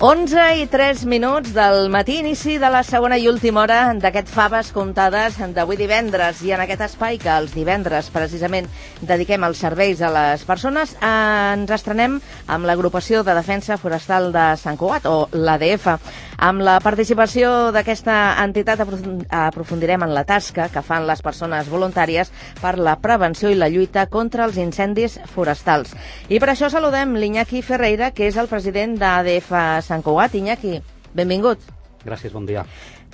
11:03 del matí, inici de la segona i última hora d'aquest Faves Comptades d'avui divendres. I en aquest espai que els divendres precisament dediquem als serveis a les persones, ens estrenem amb l'Agrupació de Defensa Forestal de Sant Cugat, o l'ADF. Amb la participació d'aquesta entitat aprofundirem en la tasca que fan les persones voluntàries per la prevenció i la lluita contra els incendis forestals. I per això saludem l'Iñaki Ferreira, que és el president d'ADF Sant Cugat. Iñaki, benvingut. Gràcies, bon dia.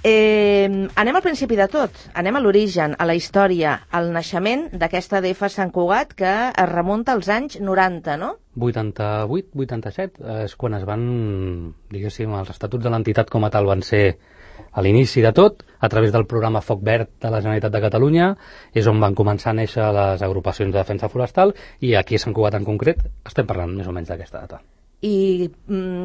Anem al principi de tot, anem a l'origen, a la història, al naixement d'aquesta ADF Sant Cugat, que es remunta als anys 90, no? 88, 87, és quan es van, diguéssim, els estatuts de l'entitat com a tal van ser a l'inici de tot, a través del programa Foc Verd de la Generalitat de Catalunya, és on van començar a néixer les agrupacions de defensa forestal, i aquí a Sant Cugat en concret estem parlant més o menys d'aquesta data. I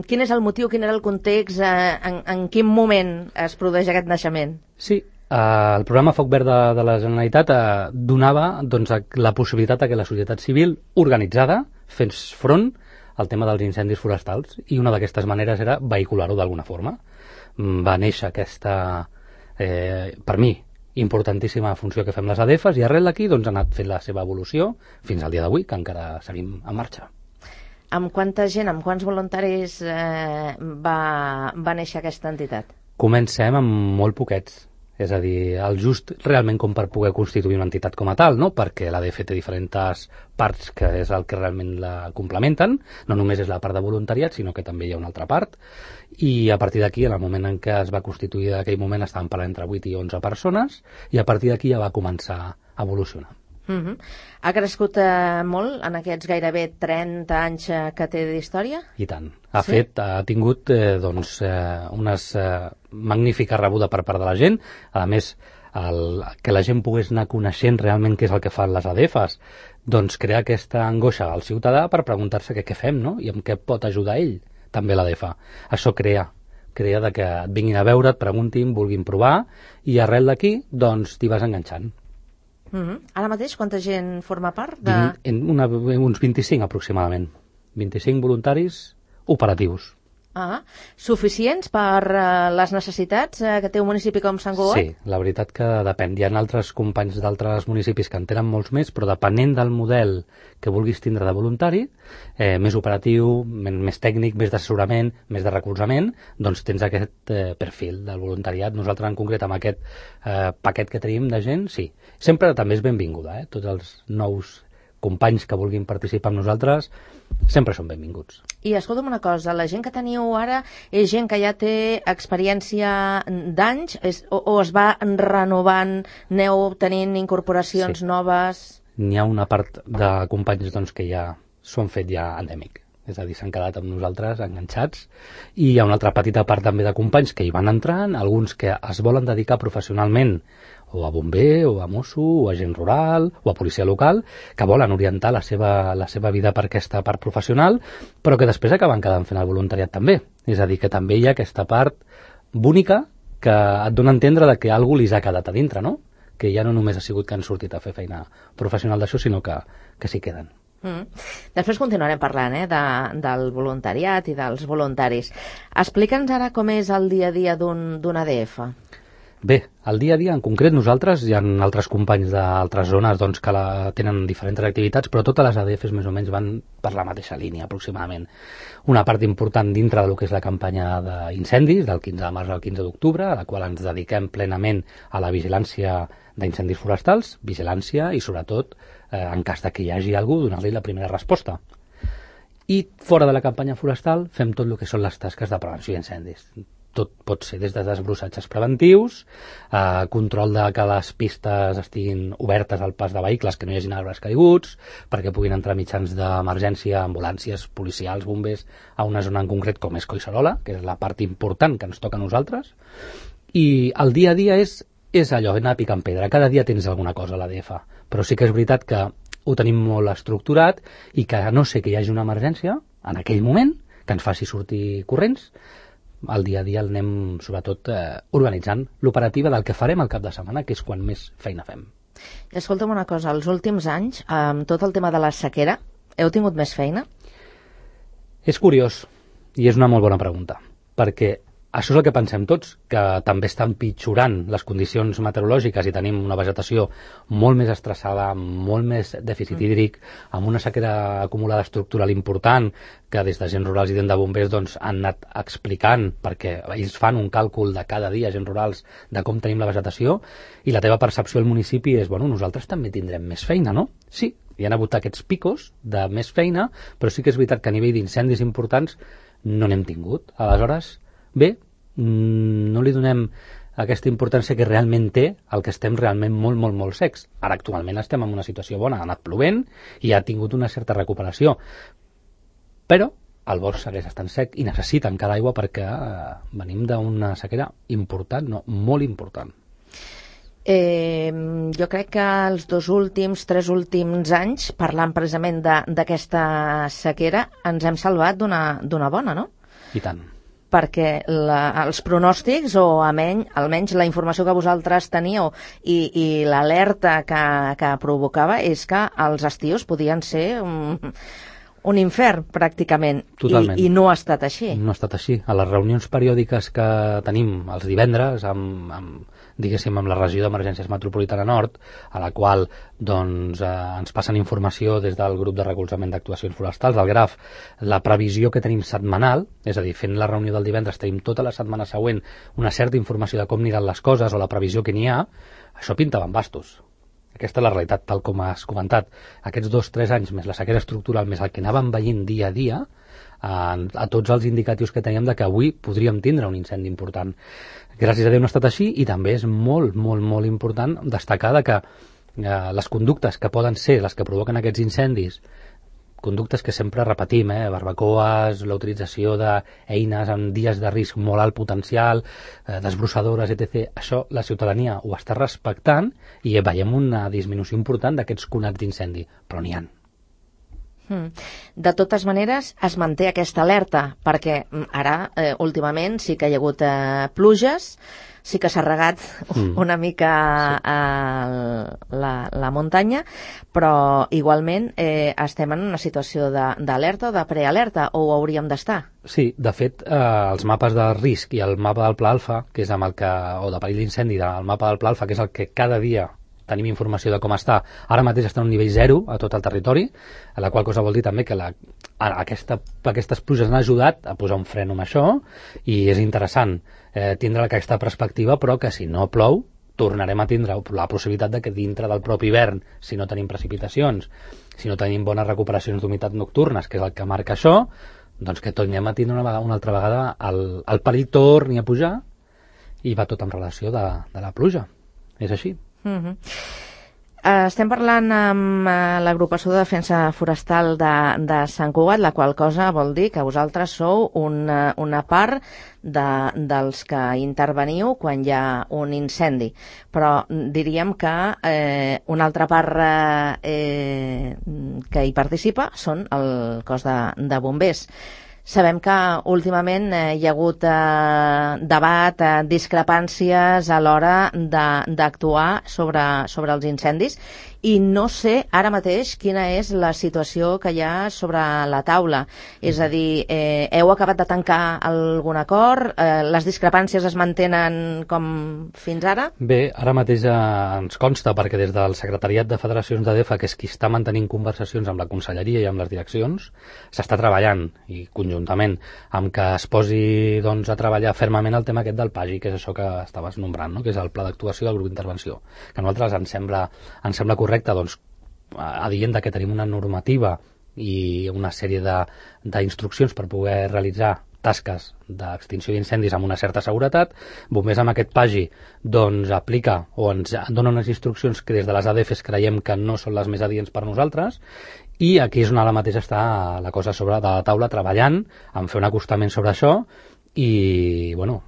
quin és el motiu, quin era el context, en quin moment es produeix aquest naixement? Sí, el programa Foc Verd de la Generalitat donava la possibilitat que la societat civil organitzada fes front al tema dels incendis forestals, i una d'aquestes maneres era vehicular-ho d'alguna forma. Va néixer aquesta, per mi, importantíssima funció que fem les ADFs, i arrel d'aquí ha anat fent la seva evolució fins al dia d'avui, que encara seguim en marxa. Amb quanta gent, amb quants voluntaris va néixer aquesta entitat? Comencem amb molt poquets, és a dir, el just realment com per poder constituir una entitat com a tal, no? Perquè l'ADF té diferents parts que és el que realment la complementen, no només és la part de voluntariat, sinó que també hi ha una altra part, i a partir d'aquí, en el moment en què es va constituir, en aquell moment estàvem parlant entre 8 i 11 persones, i a partir d'aquí ja va començar a evolucionar. Ha crescut molt en aquests gairebé 30 anys que té d'història? I tant. Ha tingut una magnífica rebuda per part de la gent. A més, que la gent pogués anar coneixent realment què és el que fan les ADFs, doncs crea aquesta angoixa al ciutadà per preguntar-se què fem, no? I en què pot ajudar ell, també l'ADF. Això crea de que et vinguin a veure, et preguntin, vulguin provar, i arrel d'aquí, doncs, t'hi vas enganxant. Ara mateix, quanta gent forma part? Uns 25 aproximadament. 25 voluntaris operatius. Suficients per les necessitats que té un municipi com Sant Cugat? Sí, la veritat que depèn. Hi ha altres companys d'altres municipis que en tenen molts més, però depenent del model que vulguis tindre de voluntari, més operatiu, més tècnic, més d'assessorament, més de recolzament, doncs tens aquest perfil del voluntariat. Nosaltres en concret amb aquest paquet que tenim de gent, sí. Sempre també és benvinguda, tots els nous companys que vulguin participar amb nosaltres sempre són benvinguts. I escolta'm una cosa, la gent que teniu ara és gent que ja té experiència d'anys o es va renovant, aneu tenint incorporacions noves? N'hi ha una part de companys que ja s'ho han fet ja endèmic, és a dir, s'han quedat amb nosaltres enganxats, i hi ha una altra petita part també de companys que hi van entrant, alguns que es volen dedicar professionalment o a bomber, o a mosso, o a agent rural, o a policia local, que volen orientar la seva vida per aquesta part professional, però que després acaben quedant fent el voluntariat també. És a dir, que també hi ha aquesta part bonica que et dona a entendre que algú li ha quedat a dintre, no? Que ja no només ha sigut que han sortit a fer feina professional d'això, sinó que s'hi queden. Després continuarem parlant del voluntariat i dels voluntaris. Explica'ns ara com és el dia a dia d'un ADF. Bé, el dia a dia en concret nosaltres, hi ha altres companys d'altres zones que tenen diferents activitats, però totes les ADFs més o menys van per la mateixa línia aproximadament. Una part important dintre del que és la campanya d'incendis, del 15 de març al 15 d'octubre, a la qual ens dediquem plenament a la vigilància d'incendis forestals, vigilància i sobretot, en cas que hi hagi algú, donar-li la primera resposta. I fora de la campanya forestal fem tot el que són les tasques de prevenció d'incendis. Tot pot ser des de desbrossatges preventius, control de que les pistes estiguin obertes al pas de vehicles, que no hi hagin arbres caiguts, perquè puguin entrar mitjans d'emergència, ambulàncies, policials, bombers, a una zona en concret com és Collserola, que és la part important que ens toca a nosaltres. I el dia a dia és allò, anar picant pedra. Cada dia tens alguna cosa a l'ADF, però sí que és veritat que ho tenim molt estructurat i que a no ser que hi hagi una emergència, en aquell moment, que ens faci sortir corrents, el dia a dia el anem, sobretot, organitzant l'operativa del que farem al cap de setmana, que és quan més feina fem. Escolta'm una cosa, els últims anys, amb tot el tema de la sequera, heu tingut més feina? És curiós. I és una molt bona pregunta, perquè això és el que pensem tots, que també estan pitjorant les condicions meteorològiques i tenim una vegetació molt més estressada, molt més dèficit hídric, amb una sequera acumulada estructural important, que des d'agents rurals i de bombers doncs, han anat explicant, perquè ells fan un càlcul de cada dia, agents rurals, de com tenim la vegetació, i la teva percepció al municipi és, bueno, nosaltres també tindrem més feina, no? Sí, hi ha hagut aquests picos de més feina, però sí que és veritat que a nivell d'incendis importants no n'hem tingut. Aleshores, bé, no li donem aquesta importància que realment té el que estem realment molt, molt, molt secs. Ara actualment estem en una situació bona, ha anat plovent i ha tingut una certa recuperació. Però el bosc segueix estant sec i necessita encara aigua perquè venim d'una sequera important, no, molt important. Jo crec que els 3 últims anys, parlant precisament d'aquesta sequera, ens hem salvat d'una bona, no? I tant. Perquè els pronòstics, o almenys la informació que vosaltres teníeu i l'alerta que provocava és que els estius podien ser un infern, pràcticament. Totalment. I no ha estat així. No ha estat així. A les reunions periòdiques que tenim els divendres diguéssim, amb la regió d'emergències metropolitana nord, a la qual doncs, ens passen informació des del grup de recolzament d'actuacions forestals, del GRAF, la previsió que tenim setmanal, és a dir, fent la reunió del divendres tenim tota la setmana següent una certa informació de com aniran les coses o la previsió que n'hi ha, això pinta bastos. Aquesta és la realitat, tal com has comentat. Aquests 2-3 anys, més la sequera estructural, més el que anàvem veient dia a dia, a tots els indicatius que teníem de que avui podríem tindre un incendi important. Gràcies a Déu no ha estat així, i també és molt, molt, molt important destacar que les conductes que poden ser les que provoquen aquests incendis, conductes que sempre repetim, barbacoes, la utilització d'eines en dies de risc molt alt potencial, desbrossadores, etc. Això la ciutadania ho està respectant i veiem una disminució important d'aquests conats d'incendi, però n'hi ha. De totes maneres, es manté aquesta alerta, perquè ara, últimament, sí que hi ha hagut pluges, sí que s'ha regat una mica la muntanya, però igualment estem en una situació d'alerta o de prealerta, o ho hauríem d'estar? Sí, de fet, els mapes de risc i el mapa del Pla Alfa, que és amb el que, o de perill d'incendi, el mapa del Pla Alfa, que és el que cada dia tenim informació de com està, ara mateix està en un nivell 0 a tot el territori, a la qual cosa vol dir també que aquestes pluges han ajudat a posar un fre amb això, i és interessant tindre aquesta perspectiva, però que si no plou tornarem a tindre la possibilitat de que dintre del propi hivern, si no tenim precipitacions, si no tenim bones recuperacions d'humitat nocturnes, que és el que marca això, doncs que tornem a tindre una altra vegada el perill torni a pujar, i va tot en relació de la pluja. És així. Estem parlant amb l'agrupació de defensa forestal de Sant Cugat, la qual cosa vol dir que vosaltres sou una part dels que interveniu quan hi ha un incendi, però diríem que una altra part que hi participa són el cos de bombers. Sabem que últimament hi ha hagut debat, discrepàncies a l'hora d'actuar sobre els incendis, i no sé ara mateix quina és la situació que hi ha sobre la taula. És a dir, heu acabat de tancar algun acord? Les discrepàncies es mantenen com fins ara? Bé, ara mateix ens consta, perquè des del Secretariat de Federacions de DEFA, que és qui està mantenint conversacions amb la Conselleria i amb les direccions, s'està treballant, i conjuntament, amb que es posi doncs, a treballar fermament el tema aquest del PAGI, que és això que estaves nombrant, no? Que és el Pla d'Actuació del Grup d'Intervenció, que a nosaltres ens sembla correcte, doncs, adient que tenim una normativa i una sèrie d'instruccions per poder realitzar tasques d'extinció d'incendis amb una certa seguretat. Bombers amb aquest PAGI doncs aplica o ens dona unes instruccions que des de les ADFs creiem que no són les més adients per nosaltres, i aquí és on ara mateix està la cosa sobre de la taula, treballant en fer un acostament sobre això, i bueno,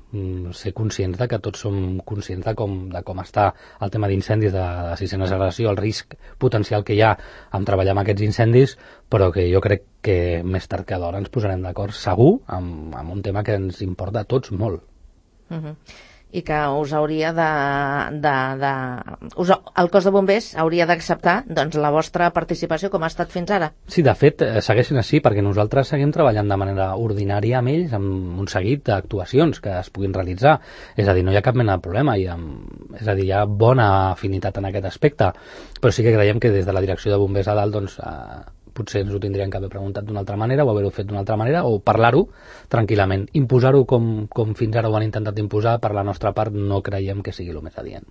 ser conscients de que tots som conscients de com està el tema d'incendis de sisena generació, el risc potencial que hi ha en treballar amb aquests incendis, però que jo crec que més tard que d'hora ens posarem d'acord segur amb un tema que ens importa a tots molt. i que us hauria el cos de bombers hauria d'acceptar doncs, la vostra participació com ha estat fins ara. Sí, de fet, segueixen així, perquè nosaltres seguim treballant de manera ordinària amb ells, amb un seguit d'actuacions que es puguin realitzar. És a dir, no hi ha cap mena de problema, és a dir, hi ha bona afinitat en aquest aspecte, però sí que creiem que des de la direcció de bombers a dalt, doncs, potser ens ho tindrien que haver preguntat d'una altra manera o haver-ho fet d'una altra manera o parlar-ho tranquil·lament. Imposar-ho com fins ara ho han intentat imposar, per la nostra part no creiem que sigui el més adient.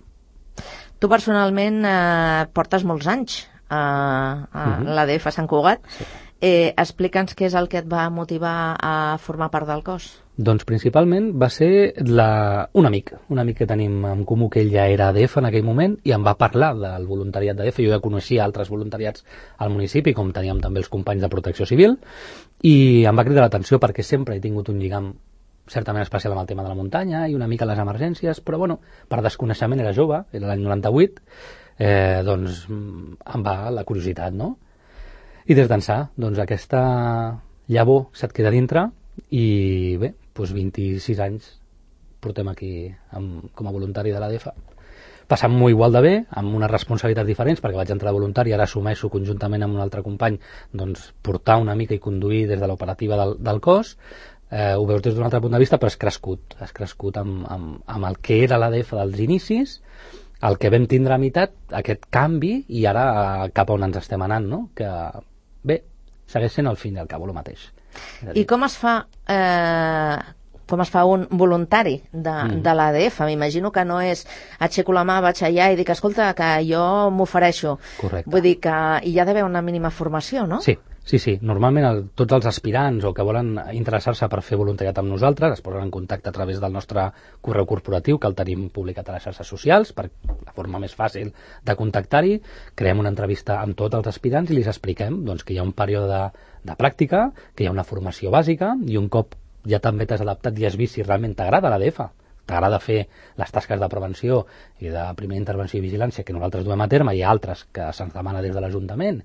Tu personalment portes molts anys a l'ADF a Sant Cugat. Sí. Explica'ns què és el que et va motivar a formar part del cos. Doncs principalment va ser un amic que tenim en comú, que ell ja era ADF en aquell moment i em va parlar del voluntariat d'ADF. Jo ja coneixia altres voluntariats al municipi, com teníem també els companys de Protecció Civil, i em va cridar l'atenció perquè sempre he tingut un lligam certament especial amb el tema de la muntanya i una mica les emergències, però bueno, per desconeixement, era jove, era l'any 98, doncs em va la curiositat, no? I des d'ençà, doncs aquesta llavor se't queda dintre i bé, doncs 26 anys portem aquí com a voluntari de l'ADF. Passant-m'ho igual de bé, amb unes responsabilitats diferents, perquè vaig entrar de voluntari, ara assumeixo conjuntament amb un altre company doncs, portar una mica i conduir des de l'operativa del cos. Ho veus des d'un altre punt de vista, però has crescut amb el que era l'ADF dels inicis, el que vam tindre a meitat, aquest canvi, i ara cap on ens estem anant, no? Que bé, segueix sent al fin i al cabo el mateix. I com es fa un voluntari de l'ADF? M'imagino que no és aixeco la mà, vaig allà i dic, escolta, que jo m'ofereixo. Correcte. Vull dir que hi ha d'haver una mínima formació, no? Sí. Normalment tots els aspirants o que volen interessar-se per fer voluntariat amb nosaltres es posen en contacte a través del nostre correu corporatiu, que el tenim publicat a les xarxes socials, per la forma més fàcil de contactar-hi. Creem una entrevista amb tots els aspirants i li expliquem doncs, que hi ha un període de pràctica, que hi ha una formació bàsica, i un cop ja també t'has adaptat i has vist si realment t'agrada l'ADF, t'agrada fer les tasques de prevenció i de primera intervenció i vigilància que nosaltres duem a terme, i altres que se'ns demana des de l'Ajuntament,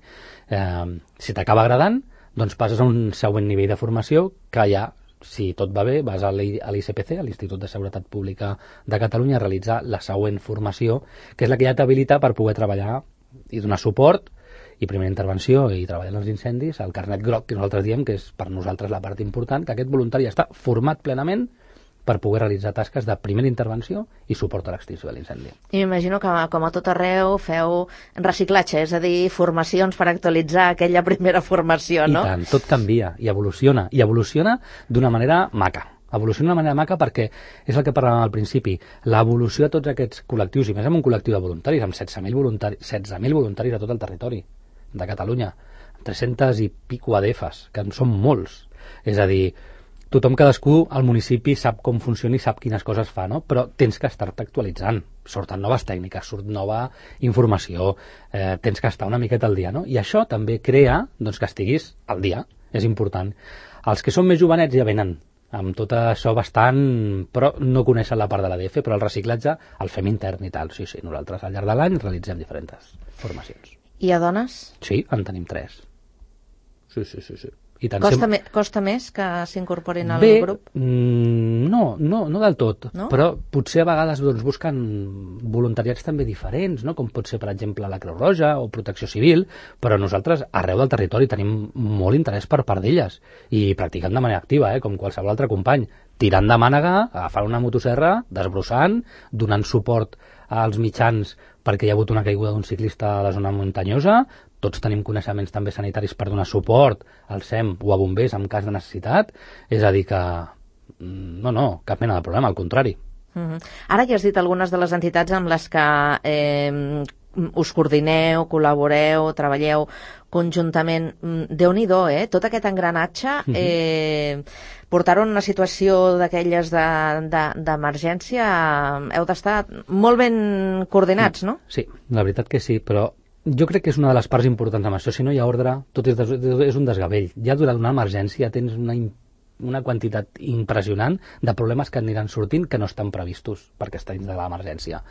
si t'acaba agradant, doncs passes a un següent nivell de formació que ja, si tot va bé, vas a l'ICPC, a l'Institut de Seguretat Pública de Catalunya, a realitzar la següent formació, que és la que ja t'habilita per poder treballar i donar suport i primera intervenció i treballar en els incendis, el carnet groc, que nosaltres diem que és per nosaltres la part important, que aquest voluntari està format plenament per poder realitzar tasques de primera intervenció i suport a l'extinció de l'incendi. I m'imagino que, com a tot arreu, feu reciclatge, és a dir, formacions per actualitzar aquella primera formació, no? I tant, tot canvia i evoluciona d'una manera maca. Evoluciona d'una manera maca perquè és el que parlàvem al principi, l'evolució de tots aquests col·lectius, i més amb un col·lectiu de voluntaris, amb 16.000 voluntaris a tot el territori de Catalunya, 300 i pico ADFs, que en són molts. És a dir, tothom, cadascú al municipi sap com funciona i sap quines coses fa, no? Però tens que estar-te actualitzant. Surten noves tècniques, surt nova informació, tens que estar una miqueta al dia, no? I això també crea doncs, que estiguis al dia, és important. Els que són més jovenets ja venen amb tot això bastant, però no coneixen la part de l'ADF, però el reciclatge el fem intern i tal. Sí, nosaltres al llarg de l'any realitzem diferents formacions. I a dones? Sí, en tenim 3. Sí. I tant, costa més que s'incorporin al grup? No del tot, no? Però potser a vegades doncs, busquen voluntariats també diferents, no? Com pot ser, per exemple, la Creu Roja o Protecció Civil, però nosaltres arreu del territori tenim molt interès per part d'elles i practicant de manera activa, com qualsevol altre company, tirant de mànega, agafant una motosserra, desbrossant, donant suport als mitjans perquè hi ha hagut una caiguda d'un ciclista a la zona muntanyosa. Tots tenim coneixements també sanitaris per donar suport al SEM o a bombers en cas de necessitat. És a dir que no, cap mena de problema, al contrari. Ara ja has dit algunes de les entitats amb les que us coordineu, col·laboreu, treballeu conjuntament. Déu-n'hi-do, tot aquest engranatge, portar-ho en una situació d'aquelles d'emergència, heu d'estar molt ben coordinats, no? Sí, la veritat que sí, però jo crec que és una de les parts importants amb això. Si no hi ha ordre, tot és un desgavell. Ja durant una emergència tens una quantitat impressionant de problemes que aniran sortint que no estan previstos perquè està dins de l'emergència.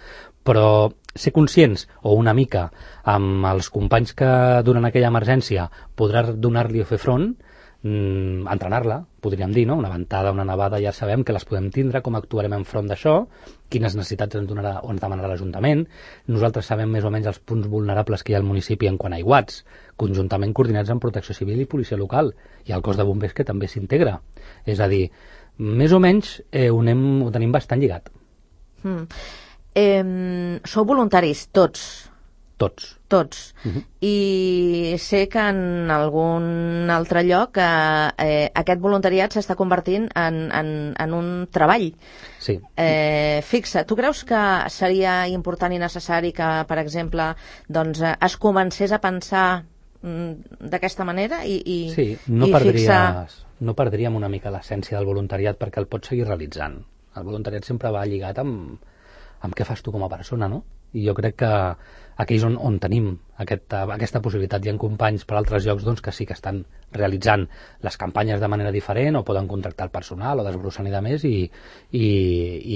Però ser conscients, o una mica, amb els companys que durant aquella emergència podràs donar-li o fer front, entrenar-la, podríem dir, no? Una ventada, una nevada, ja sabem que les podem tindre, com actuarem enfront d'això, quines necessitats ens donarà o ens demanarà l'Ajuntament. Nosaltres sabem més o menys els punts vulnerables que hi ha al municipi en quant a aiguats, conjuntament coordinats amb Protecció Civil i Policia Local, i el cos de bombers que també s'integra. És a dir, més o menys ho tenim bastant lligat. Sou voluntaris, tots? Tots. I sé que en algun altre lloc aquest voluntariat s'està convertint en un treball fixe. Tu creus que seria important i necessari que, per exemple, doncs, es comencés a pensar d'aquesta manera sí, no perdríem una mica l'essència del voluntariat perquè el pots seguir realitzant. El voluntariat sempre va lligat amb què fas tu com a persona, no? I jo crec que aquí és on tenim aquesta possibilitat. Hi ha companys per altres llocs doncs, que sí que estan realitzant les campanyes de manera diferent o poden contractar el personal o desbrossar-hi de més i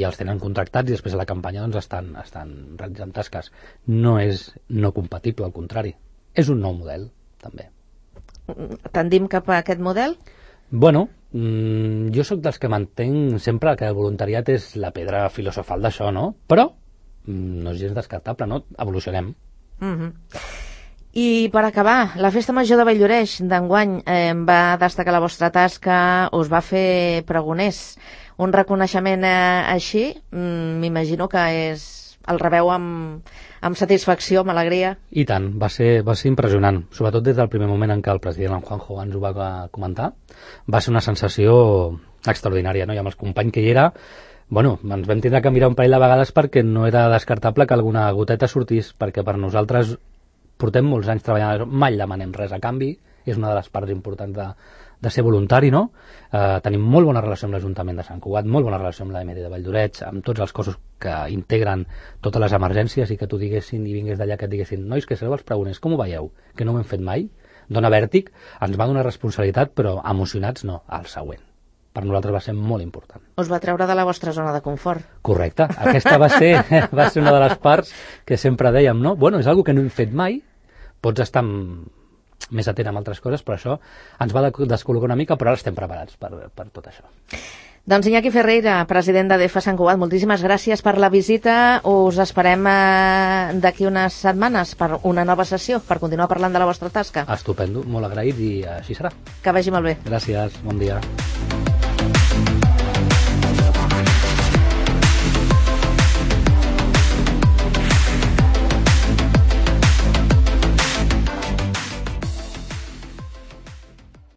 els tenen contractats i després a la campanya doncs, estan realitzant tasques. No és no compatible, al contrari. És un nou model, també. Tendim cap a aquest model? Bueno, jo sóc dels que mantenc sempre que el voluntariat és la pedra filosofal d'això, no? Però no és gens descartable, no? Evolucionem. I per acabar, la Festa Major de Valldoreix d'enguany va destacar la vostra tasca, us va fer pregoners. Un reconeixement així, m'imagino que el rebeu amb satisfacció, amb alegria. I tant, va ser impressionant, sobretot des del primer moment en què el president, en Juanjo, ens ho va comentar. Va ser una sensació extraordinària, no? I amb els companys que hi era, bueno, ens vam tindre que mirar un parell de vegades perquè no era descartable que alguna goteta sortís, perquè per nosaltres portem molts anys treballant, mai demanem res a canvi, és una de les parts importants de ser voluntari, no? Tenim molt bona relació amb l'Ajuntament de Sant Cugat, molt bona relació amb l'AMD de Valldoreix, amb tots els cossos que integren totes les emergències i que tu diguessin i vingués d'allà que et diguessin nois, que sereu els pregoners, com ho veieu? Que no ho hem fet mai? Dona vèrtic, ens va donar responsabilitat, però emocionats no, al següent. Per nosaltres va ser molt important. Us va treure de la vostra zona de confort. Correcte. Aquesta va ser una de les parts que sempre dèiem, no? Bueno, és una que no hem fet mai, pots estar més atent amb altres coses, però això ens va descol·locar una mica, però ara estem preparats per tot això. Doncs Iñaki Ferreira, president d'ADEFA Sant Cugat, moltíssimes gràcies per la visita. Us esperem d'aquí unes setmanes per una nova sessió, per continuar parlant de la vostra tasca. Estupendo, molt agraït i així serà. Que vagi molt bé. Gràcies, bon dia.